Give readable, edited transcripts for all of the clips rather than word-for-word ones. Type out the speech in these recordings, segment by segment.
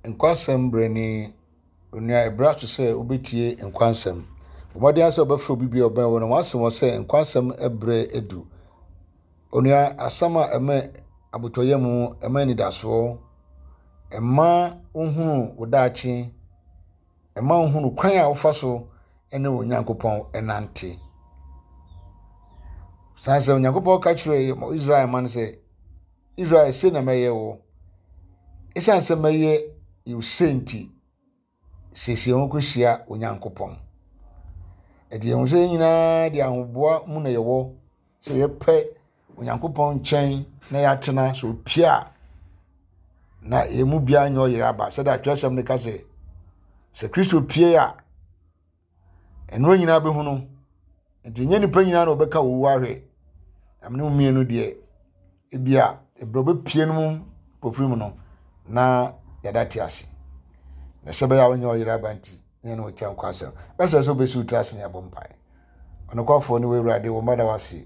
Nkwasɛm berɛ ni. Onua, ɛberɛ aso sɛ wobɛtie nkwasɛm. Bɔ mmɔden ara sɛ wobɛfrɛ obi bi a ɔbɛn wo na wasɛm wɔ sɛ nkwasɛm berɛ adu. Onua, asɛm a ɛma abotɔyam, ɛma anidasoɔ, ɛma wohunu wo daakye, ɛma wohunu kwan a wofa so ne wo Nyankopɔn nante. San sɛ Onyankopɔn ka kyerɛɛ Israel man sɛ, Israel, sei na mɛyɛ wo. Esiane sɛ mɛyɛ wo sei nti, siesie wo ho kɔhyia Onyankopɔn. Ɛde yɛn ho sɛ yɛn nyinaa de ahoboa mu na yɛwɔ sɛ yɛpɛ Onyankopɔn nkyɛn na yɛatena sɛ opie a na yɛn mu biara nyɛ ɔyere aba sɛdeɛ atwerɛsɛm no ka sɛ sɛ Kristo pie a Ɛnoa nyinaa bɛhu no. Nti nyɛ nipa nyinaa na ɔbɛka owu ahwɛ. Na mene mmienu deɛ, ebia ɛberɛ ɔbɛpie no mu pofiri mu no, na yɛda te ase. Na sɛ bɛyɛ a wonyɛ ɔyere aba nti, ne yɛne wo kyɛ nkwa asɛm. Bɛsɛ sɛ wobɛsi wo tiri ase ne abɔ mpae. Ɔnokwafoɔ ne w'Awurade, wo mma da wo ase.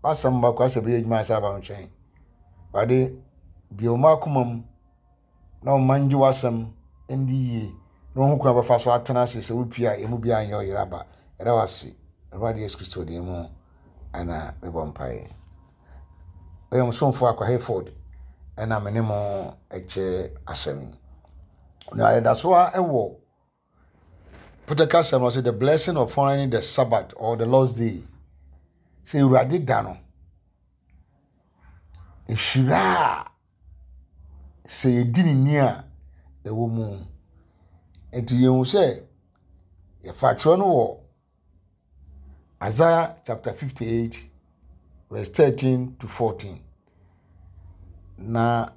W'asɛm mma kwan sɛ bɛyɛ adwuma ansa aba wo nkyɛn. Awurade, bue wo mma akoma mu na wɔn mma ngye w'asɛm ndi yie na wɔn ho kwan bɛfa so atena ase sɛ wopie a emu biara nyɛ ɔyere aba. Yɛda wo ase. Awurade Yesu Kristo din mu ɛna mebɔ mpaeɛ. Ɔyɛ mo somfo Akwa Hayford ɛna me ne mo ɛkyɛ asɛm yi. Na yɛda so ara ɛwɔ Pɔtɛ kasa mu ɔsɛ the blessing of honoring the Sabbath or the Lord's day. Sɛ Awurade da no, nhyira a sɛ yɛdi ne ni a, ɛwɔ mu. Enti yɛhu sɛ yɛfa twerɛ no wɔ Isaiah chapter 58 verse 13 to 14. Na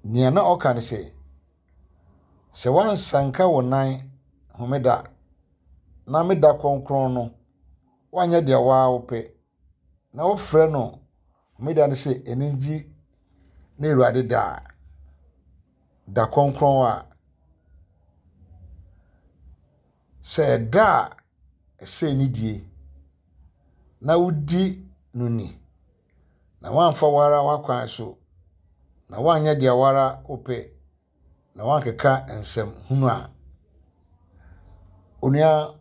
nea na ɔka ne sɛ, sɛ woansanka wo nan homeda na me da kronkron no, woanyɛ deɛ wo ara wopɛ, na wofrɛ no Homeda no sɛ anigye ne Awurade da a, da kronkron a, sɛ ɛda a ɛsɛ anidie na wodi no ni, na woamfa wo ara w'akwan so, na woanyɛ deɛ wo ara wopɛ, na woankeka nsɛm hunu a, onua,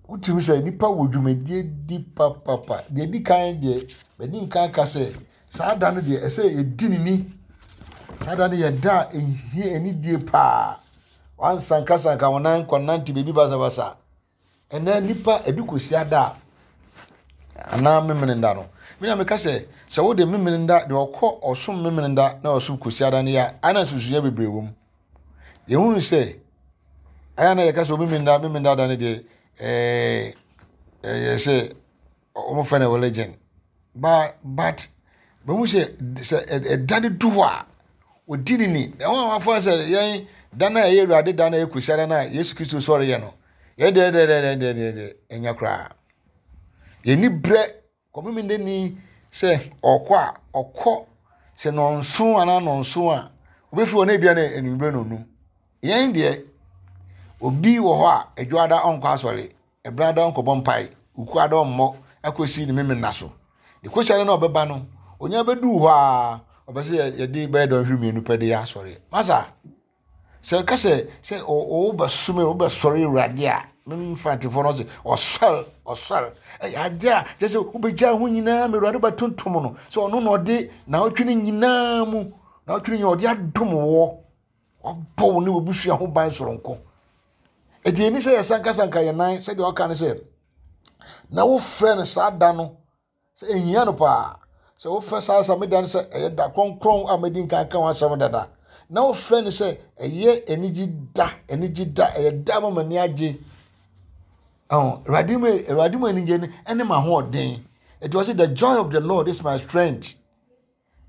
wotumi sɛ nnipa wɔ dwumadie di papapa. Deɛ ɛdi kan deɛ, madi nkan aka sɛ, saa da no deɛ, ɛsɛ yɛdi ne ni. Saa da no yɛ da a ɛhia anidie paa. Wansankasanka wo nan kɔnante baabi basabasa. Ɛnnɛ nnipa ebi kɔsi ada a anaa Memeneda no, me na meka sɛ, sɛ wode Memeneda deɛ ɔkɔ ɔsom Memeneda na ɔsom Kwasiada no yɛ a, ana nsusuiɛ bebree wɔ mu. Yɛhunu sɛ, ɛyɛ na yɛka sɛ Memeneda Memeneda da no deɛ ɛɛ ɛyɛ sɛ wɔfrɛ no religion but but bɛhu sɛ sɛ ɛda no du hɔ a wɔdi ne ni na wɔn a wɔafa sɛ yɛn da no a ɛyɛ awurade da no a ɛyɛ kusiada no a yesu kristo sɔre yɛ no yɛn deɛ deɛ deɛ deɛ deɛ deɛ ɛnyɛ koraa yɛni berɛ kɔmimi de ni sɛ ɔkɔ a ɔkɔ sɛ nɔnso anaa nɔnso a obɛfiri hɔ na ebia na enumere na onum yɛn deɛ obi wɔ hɔ a adwada ɔnkɔ asɔre Ɛberɛ ada ɔnkɔbɔ mpae, wuku ada ɔmmɔ akɔsi ne memena so. Ne kɔsi na ɔbɛba no, onya bɛduu hɔ a, ɔpɛ sɛ yɛde bɛyɛ dɔnhwere mmienu pɛ de yɛ asɔre. Masa, sɛ ɛka sɛ sɛ wobɛsom wobɛsɔre Awurade a, memfa ntefoɔ no sɛ ɔsɔre ɔsɔre ɛyɛ adeɛ a kyerɛ sɛ wobɛgya ho nyinaa ma Awurade bɛtontom no sɛ ɔno na ɔde naawɔtwe no nyinaa mu naawɔtwe no nyinaa ɔde adom woɔ. Wabɔ wo ne w'abusua ho ban soronko. Enti ɛni sɛ yɛsankasanka yɛn nan sɛdeɛ ɔka no sɛ na wofrɛ no saa da no sɛ ɛhia no paa sɛ wofrɛ saa sɛ da no sɛ ɛyɛ da kronkron a madi nkan ka ho asɛm dada na wofrɛ no sɛ ɛyɛ anigye da anigye da ɛyɛ da ma m'ani agye awurade mu awurade mu anigye no ɛne m'ahoɔden ɛti wɔ sɛ the joy of the lord is my strength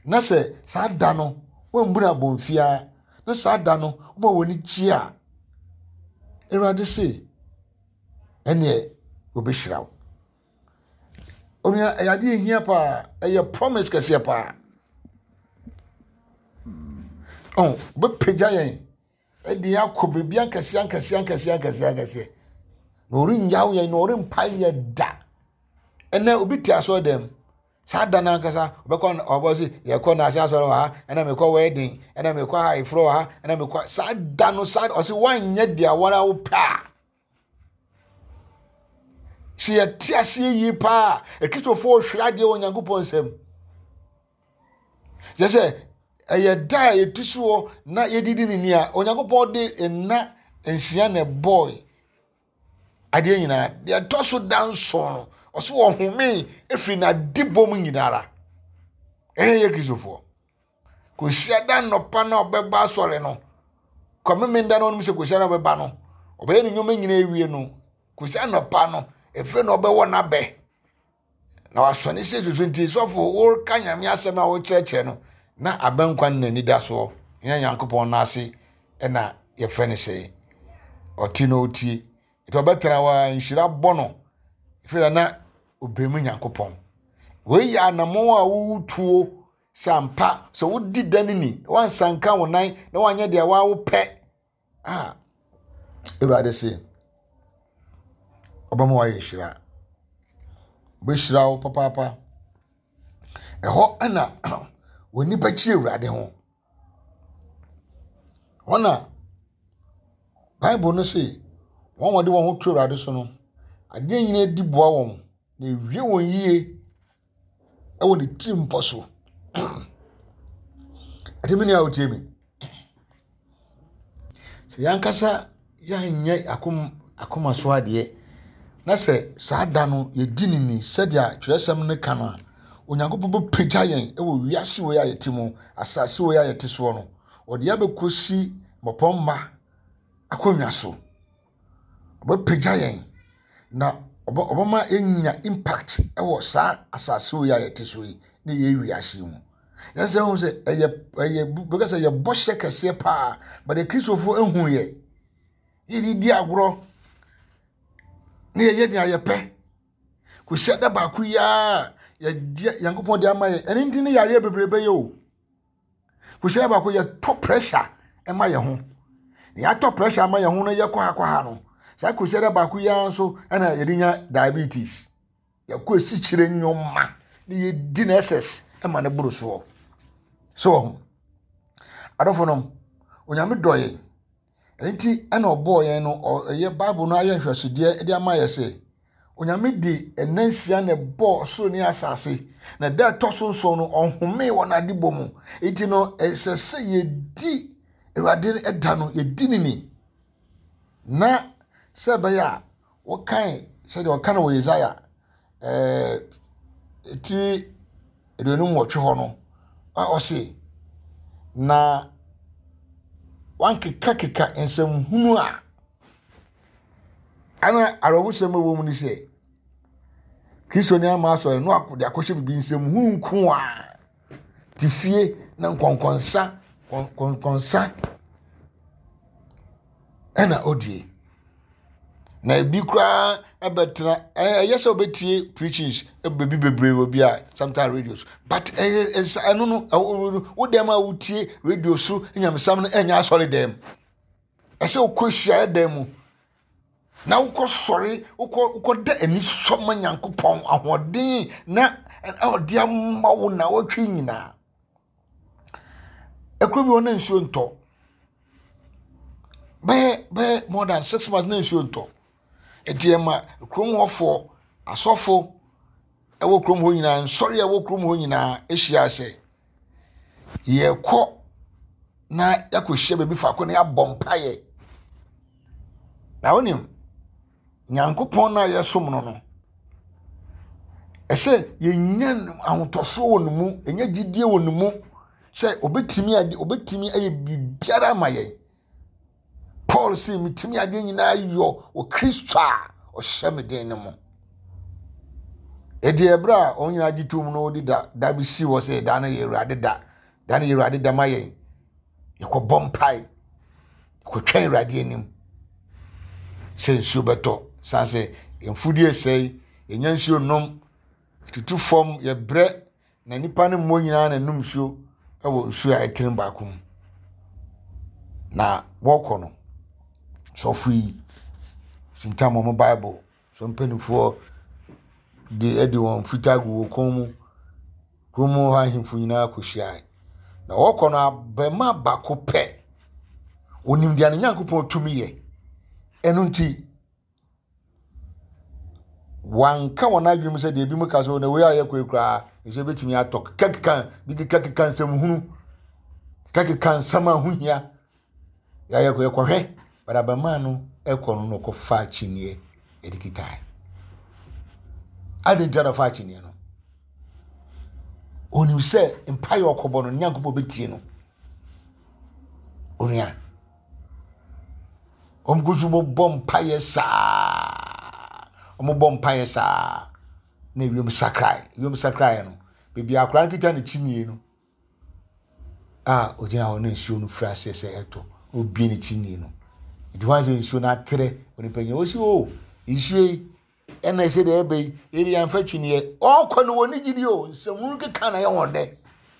Na sɛ saa da no woambu no abɔnfiaa, na saa da no woma w'ani gye a, Awurade se, ɛneɛ wɔbɛhyira wo. Onua, ɛyɛ adeɛ ehia paa, ɛyɛ promise kɛseɛ paa. Ɔn, wɔbɛpagya yɛn ɛde yɛn akɔ baabi ankɛseɛ ankɛseɛ ankɛseɛ ankɛseɛ ankɛseɛ. Na ɔrennyaw yɛn, na ɔrempae yɛn da. Ɛnɛ obi te asɔre dɛm. Saa da no ankasa ɔbɛkɔ ɔbɔ se yɛkɔ naase asɔre wɔ ha, ɛna mekɔ wedding, ɛna mekɔ ayeforɔ wɔ ha, ɛna mekɔ saa da no saa ɔse woanyɛ deɛ wɔn a wopɛ a. Sɛ yɛte aseɛ yie paa akristofoɔ hwere adeɛ wɔ Nyankopɔn nsam. Kyerɛ sɛ ɛyɛ da a yɛtu soɔ na yɛdidi ne ni a Onyankopɔn de nna nsia na ɛbɔe adeɛ nyinaa. Deɛ ɛtɔ so da nson no, ɔso ɔhomee ɛfiri n'adebɔ mu nyinara. Ɛyɛ yɛ Kristofoɔ. Kɔsia da nnɔpa na ɔbɛba asɔre no, kɔmemenda no ɔnom sɛ kɔsia na ɔbɛba no, ɔbɛyɛ ne nneɛma nyinaa awie no, kɔsia nnɔpa no, ɛfei na ɔbɛwɔ n'abɛ. Na wasɔ ne sɛ susu nti sɔfo woreka nyame asɛm a wokyerɛkyerɛ no na abɛnkwa no n'ani da soɔ nyɛ nyankopɔn no ase ɛna yɛfrɛ no sɛ ɔte na ɔtie nti ɔbɛtena hɔ a nhyira bɔ no ɛfiri na ɔbrɛ mu nyankopɔn wei yɛ anammɔn a wotuo sɛ ampa sɛ wodi da no ni wansanka wo nan na wanyɛ deɛ wawopɛ a Awurade se ɔbɛma wayɛ nhyira. Ɔbɛhyira wo papaapa. Ɛhɔ na onipa kyi Awurade ho. Hɔ na Bible no se wɔn a wɔde wɔn ho to Awurade so no, adeɛ nyinaa di boa wɔn na ewie wɔn yie wɔ ne tirimpɔ so. Ɛte me nua a wotie me. Sɛ yɛn ankasa yɛanyɛ akom akoma so adeɛ na sɛ saa da no yɛdi no ni sɛdeɛ twerɛsɛm no ka no a, Onyankopɔn bɛpagya yɛn wɔ wiase wei a yɛte mu, asase wei a yɛte soɔ no. Ɔde yɛn abɛkɔsi mmapɔmma akonnwa so. Ɔbɛpagya yɛn na ɔbɛma yɛanya impact wɔ saa asase wei a yɛte so yi ne yɛn wiase yi mu. Yɛn sɛ ho sɛ ɛyɛ ɛyɛ bɛka sɛ ɛyɛ bɔhyɛ kɛseɛ paa but Kristofo ehu yɛ. Yɛde di agorɔ ne yɛyɛ nea yɛpɛ. Kɔsi da baako yi ara yɛde Nyankopɔn de ama yɛ. Ɛno nti ne yareɛ bebree bɛyɛ o. Kɔhyia baako yɛtɔ pressure ma yɛn ho. Na yɛatɔ pressure ama yɛn ho no yɛkɔ ha kɔ ha no, saa kɔhyia da baako yi ara nso ɛna yɛde nya diabetes. Yɛkɔ esikyire nneɛma na yɛdi no excess ma no boro soɔ. So wɔ ho. Adɔfo nom, Onyame dɔ yɛn. Ɛno nti na ɔbɔɔ yɛn no, ɔyɛ Bible no ayɛ nhwɛsodeɛ de ama yɛ sɛ, Onyame de nna nsia na ɛbɔɔ ɔsoro ne asase, na da ɛtɔ so nson no, ɔhomee wɔ n'adebɔ mu. Nti no, ɛsɛ sɛ yɛdi Awurade da no, yɛdi ne ni. Na sɛ ɛbɛyɛ a, wɔkae sɛdeɛ ɔka no wɔ Yesaia ɛɛ ti 58 hɔ no, a ɔse, Na wankekakeka nsɛmhunu a ana awerɛhosɛm a ɛwɔ mu ne sɛ Kristoni ama asɔre no de akɔhyɛ biribi nsɛmhunu nko a te fie na nkɔnkɔnsa nkɔnkɔnsa ɛna odie. Na ebi koraa ɛbɛtena ɛyɛ sɛ ɔbɛtie preachings baabi bebree wɔ bi a sometimes radio so but ɛyɛ ɛsa ɛno no ɛwɔ wo dɛm a wotie radio so nyamesam no ɛnyɛ asɔre dɛm ɛsɛ wokɔ hyiaeɛ dan mu na wokɔ sɔre wokɔ wokɔ da anisɔ ma nyankopɔn ahoɔden na ɔde ama wo na wɔtwe nyinaa. Ekuro bi wɔ hɔ na nsuo ntɔ. Bɛyɛ bɛyɛ more than 6 months na nsuo ntɔ. Nti ɛma kurom hɔfoɔ, asɔfo ɛwɔ kurom hɔ nyinaa, nsɔre a ɛwɔ kurom hɔ nyinaa ahyia sɛ yɛrekɔ na yɛakɔhyia baabi faako na yɛabɔ mpaeɛ. Na wonim, Nyankopɔn no a yɛsom no no, ɛsɛ yɛnya ahotɔsoɔ wɔ ne mu, yɛnya gyidie wɔ ne mu sɛ obɛtumi ade obɛtumi ayɛ biribiara ama yɛn. Paul se metumi adeɛ nyinaa yɔ wɔ Kristo a ɔhyɛ me den no mu. Ɛdi ɛberɛ a wɔn nyinaa gye tom no wɔde da da bi si hɔ sɛ da no yɛ Awurade da, da no yɛ Awurade da ma yɛn. Yɛkɔbɔ mpae, yɛkɔtwɛn Awurade anim sɛ nsuo bɛtɔ. San sɛ yɛn mfudeɛ sɛe, yɛnya nsuo nom, tutu fam, yɛbrɛ na nipa no mmɔ nyinaa na nom nsuo wɔ nsuo a ɛtene baako mu. Na wɔkɔ no, sɔfo yi sintam wɔn Bible. So mpanimfoɔ de de wɔn fitaa gu wɔn kɔn mu. Kurom hɔ ahemfo nyinaa kɔhyiae. Na wɔkɔ no abarimaa baako pɛ. Onim deɛ ne Nyankopɔn tumi yɛ. Ɛno nti, wanka wɔn adwene mu sɛ deɛ ebinom ka so na wei a yɛkɔ yi koraa nso ebetumi atɔ kekakeka bi kekakeka nsɛm hunu kekakeka nsɛm a ho hia yɛayɛ kɔ yɛkɔhwɛ but abarimaa no ɛkɔ no na ɔkɔfa akyinnyeɛ ɛde kitae adi nti na ɔfa akyinnyeɛ no onim sɛ mpaeɛ ɔkɔbɔ no nyankopɔn bɛtie no onua wɔn gu so bɔ mpaeɛ saa wɔn bɔ mpaeɛ saa na ewiem sakrae ewiem sakrae no beebi akora no kita ne kyinnie no a ogyina hɔ na nsuo no firi aseɛ sɛ ɛtɔ obie ne kyinnie no nti wɔn asɛ nsuo no atrɛ onipa nyina wɔsi o oh, nsuo yi ɛna ɛsɛ deɛ ɛbɛ yi yɛde yɛn afa kyiniiɛ ɔkɔ no wɔ ne gyidi o nsɛmunu keka na yɛ wɔn dɛ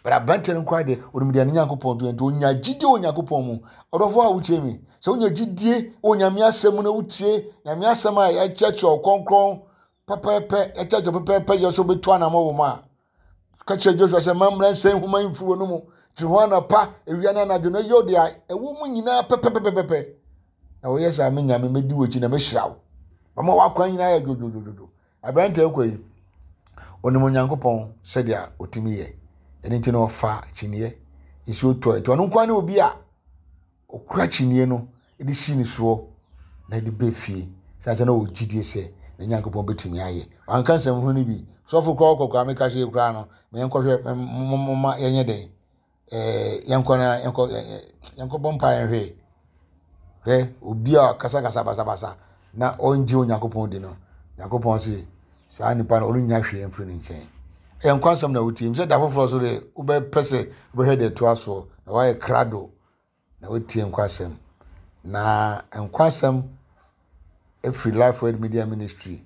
bɛrɛ aberanteɛ no nkwa deɛ onim deɛ ne nyankopɔn to nti onya gyidie wɔ nyankopɔn mu ɔdɔfo a wotie mi sɛ wonya gyidie wɔ nyame asɛm mu na wotie nyame asɛm a yɛkyerɛkyerɛ ɔkɔnkɔn pɛpɛɛpɛ yɛkyerɛkyerɛ pɛpɛɛpɛ yɛ sɛ wobɛtu anamɔ wɔ mu a ka kyerɛ Joshua sɛ ma mmara nsɛm nhoma yi mfiri wɔn mu tiri ho anɔpa awia ne anadwo na yɛ deɛ ɛwɔ mu nyinaa pɛpɛpɛpɛpɛ na wɔyɛ saa me nyame mɛdi w'akyi na mɛhyira wo mama w'akwan nyinaa yɛ dwodwodwodwo aberante kɔ yi onim onyankopɔn sɛdeɛ ɔtumi yɛ ɛno nti na ɔfa kyiniiɛ nsuo tɔ nti ɔno nkoa ne obi a Ɔkura kyiniiɛ no de si ne soɔ na de ba fie. Sane sɛ na ɔwɔ gyidie sɛ ne Nyankopɔn bɛtumi ayɛ. Wanka nsɛm hunu no bi. Sɔfo koraa ɔkɔ koraa meka hwee koraa no, ma yɛnkɔhwɛ moma yɛnyɛ dɛn. Ɛɛ yɛnkɔ na yɛnkɔ yɛnkɔ bɔ mpaeɛ nhwɛ. Hwɛ obi a ɔkasakasa basabasa na ɔngye Onyankopɔn di no, Nyankopɔn se saa nipa no ɔrennya hwee mfiri ne nkyɛn. Ɛyɛ nkwa nsɛm na wotie. Sɛ da foforɔ so de wobɛpɛ sɛ wobɛhwɛ deɛ ɛtoa soɔ na woayɛ krado na woatie nkwasɛm. Na nkwasɛm firi Life Word Media Ministry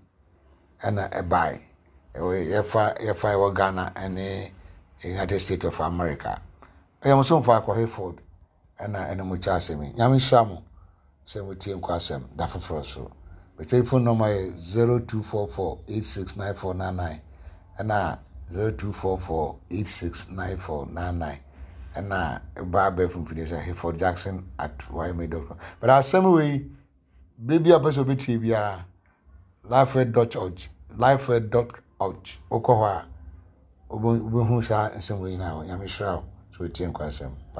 ɛna ɛbae. Yɛfa yɛfa ɛwɔ Ghana ɛne United States of America. Ɛyɛ mo somfo Akɔ Hayford ɛna ɛne mo kyɛ asɛm yi. Nyame nhyira mo sɛ motie nkwasɛm da foforɔ so. Me telephone number yɛ 0244869499 ɛna 0244869499 ɛna ɛba abɛɛfo mfidie sɛ Hayford Jackson at ymail.com. But asɛm wei bere bi a ɔpɛ sɛ ɔbɛtie biara lifeword dot org lifeword dot org wokɔ hɔ a wobɛhu saa nsɛm wei nyinaa hɔ. Nyame hyira wo sɛ wotie nkwasɛm.